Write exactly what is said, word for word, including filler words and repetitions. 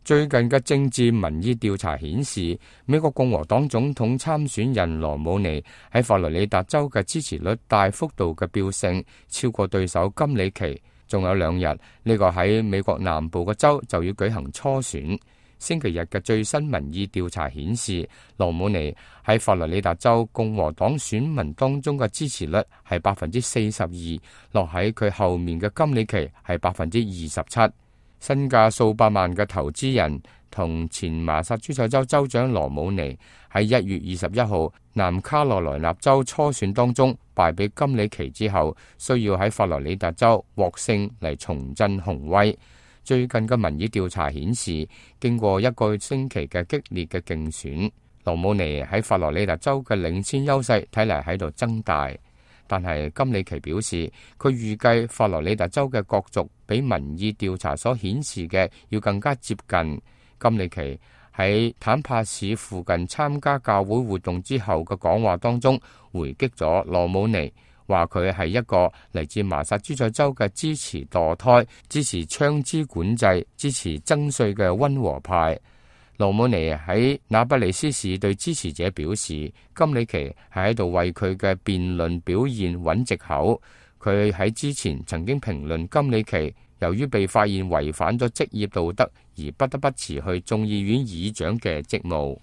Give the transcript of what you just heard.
最近嘅政治民意調查顯示，美國共和黨總統參選人羅姆尼喺佛羅里達州嘅支持率大幅度嘅飆升，超過對手金里奇。仲有兩日，呢個喺美國南部嘅州就要舉行初選。星期日嘅最新民意調查顯示，羅姆尼喺佛羅里達州共和黨選民當中嘅支持率係百分之四十二，落喺佢後面嘅金里奇係百分之二十七。身價數百萬嘅投資人同前麻薩諸塞州州長羅姆尼喺一月二十一號南卡羅來納州初選當中敗俾金里奇之後，需要喺佛羅里達州獲勝嚟重振雄威。最近嘅民意調查顯示，經過一個星期嘅激烈嘅競選，羅姆尼喺佛羅里達州嘅領先優勢睇嚟喺度增大。但係金里奇表示，佢預計佛羅里達州嘅角逐比民意調查所顯示嘅要更加接近。金里奇喺坦帕市附近參加教會活動之後嘅講話當中，回擊咗羅姆尼，話佢係一個嚟自麻薩諸塞州嘅支持墮胎、支持槍支管制、支持增稅嘅溫和派。羅姆尼喺那不里斯市對支持者表示，金里奇係喺度為佢嘅辯論表現揾藉口。佢喺之前曾經評論金里奇由於被發現違反咗職業道德而不得不辭去眾議院議長嘅職務。